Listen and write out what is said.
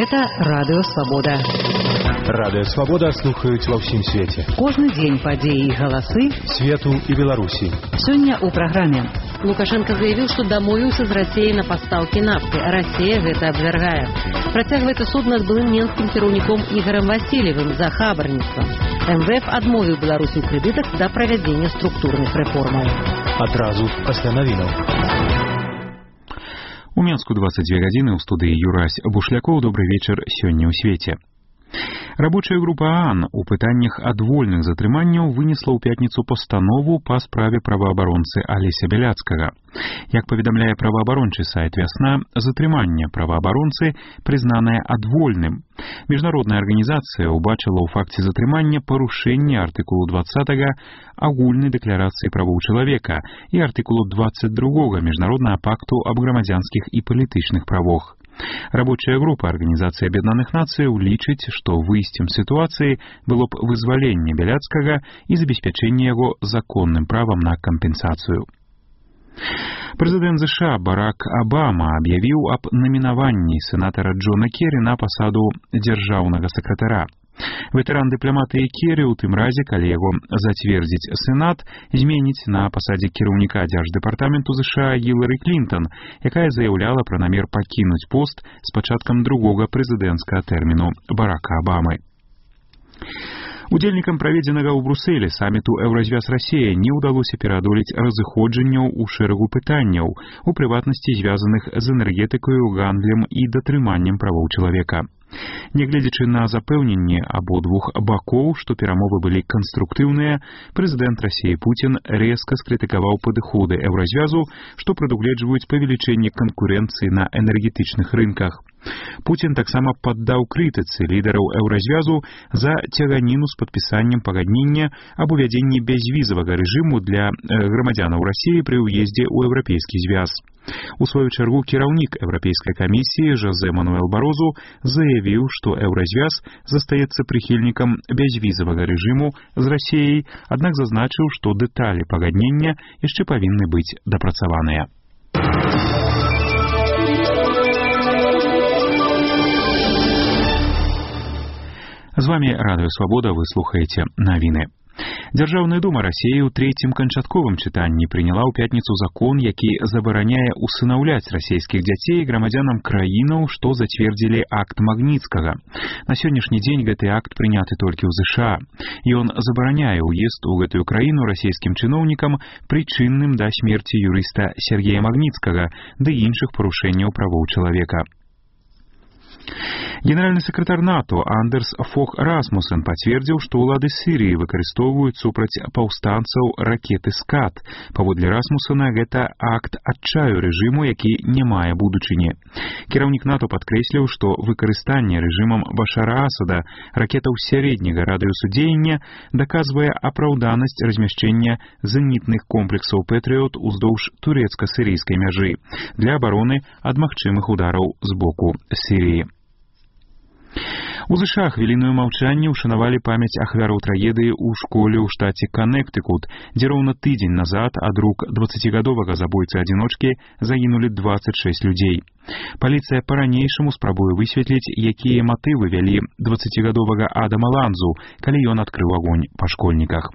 Гэта Радыё Свабода. Радыё Свабода слухаюць ва ўсім свеце. Кожны дзень падзеі і галасы свету і Беларусі. Сёння ў праграме. Лукашенко заявил, что домовился с Россией на поставки нафты. Россия это обвергает. Протягивает суд над былым менским кіраўніком Игорем Васильевым за хабарніцтва. МВФ адмовіў Беларусі ў крэдытах да правядзення структурных рэформаў. Адразу пасля навінаў. У Менску 22 гадзіны ў студыі Юрась Бушлякоў. Добры вечар сёння ў свеце. Рабочая група ААН у пытаннях адвольных затрыманняў вынесла ў пятніцу пастанову па справе праваабаронцы Алеся Бяляцкага. Як паведамляе праваабарончы сайт «Вясна», затрыманне праваабаронцы прызнанае адвольным. Міжнародная арганізацыя ўбачыла ў факце затрымання парушэнне артыкулу 20 агульнай дэкларацыі правоў чалавека і артыкулу 22 Міжнароднага пакту аб грамадзянскіх і палітычных правах. Рабочая група Арганізацыі Аб'яднаных Нацыяў лічыць, што выйсцем сітуацыі было б вызваленне Бяляцкага і забеспячэнне яго законным правам на кампенсацыю. Прэзідэнт США Барак Абама аб'явіў аб намінаванні сенатара Джона Керрі на пасаду дзяржаўнага сакратара. Ветэран дыпламатыі Керрі ў тым разе, калі яго зацвердзіць Сенат, зменіць на пасадзе кіраўніка дзярждэпартаменту США Гілары Клінтон, якая заяўляла пра намер пакінуць пост з пачаткам другога прэзідэнцкага тэрміну Барака Абамы. Удзельнікам праведзенага ў Брусэлі саміту Еўразвяз-Расія не ўдалося пераадолець разыходжанняў у шэрагу пытанняў, у прыватнасці звязаных з энергетыкаю, гандлем і датрыманнем правоў чалавека. Нягледзячы на запэўненне абодвух бакоў, што перамовы былі канструктыўныя, прэзідэнт Расіі Пуцін рэзка скрытыкаваў падыходы Еўразвязу, што прадугледжваюць павелічэнне канкурэнцыі на энергетычных рынках. Пуцін таксама паддаў крытыцы лідараў Еўразвязу за цяганіну з падпісаннем пагаднення аб увядзенні бязвізавага рэжыму для грамадзянаў Расіі пры ўездзе ў Еўрапейскі звяз. У сваю чаргу кіраўнік Еўрапейскай камісіі Жозе Мануэл Барозу заявіў, што Еўразвяз застаецца прыхільнікам бязвізавага рэжыму з Расіяй, аднак зазначыў, што дэталі пагаднення яшчэ павінны быць дапрацаваныя. З вами Радыё Свабода, вы слухаеце навіны. Дзяржаўная дума Расіі ў трэцім канчатковым чытанні прыняла ў пятніцу закон, які забараняе усынаўляць расійскіх дзяцей грамадзянам краінаў, што зацвердзілі акт Магніцкага. На сённяшні дзень гэты акт прыняты толькі ў ЗША. Ён забараняе ўезд у гэтую краіну расійскім чыноўнікам, прычынным да смерці юрыста Сергея Магніцкага ды іншых парушэнняў правоў чалавека. Генеральны сакратар НАТО Андерс Фог Расмуссен пацвердзіў, што ўлады Сірыі выкарыстоўваюць супраць паўстанцаў ракеты «Скат». Паводле Расмуссена, гэта акт адчаю рэжыму, які не мае будучыні. Кіраўнік НАТО падкрэсліў, што выкарыстанне рэжымам Башара Асада ракетаў сярэдняга радыусу дзеяння даказвае апраўданасць размяшчэння зенітных комплексаў «Пэтрыот» уздоўж турэцка-сірыйскай мяжы для абароны ад магчымых удараў з боку Сірыі. У ЗША хвілінную маўчанне ўшанавалі памяць ахвяраў трагедыі ў школе ў штаце Каннектыкут, дзе роўна тыдзень назад ад рук 20гадовага забойцы-адзіночкі загінулі 26 людзей. Паліцыя па-ранейшаму спрабуе высветліць, якія матывы вялі 20гадовага Адама Ланзу, калі ён адкрыў агонь па школьніках.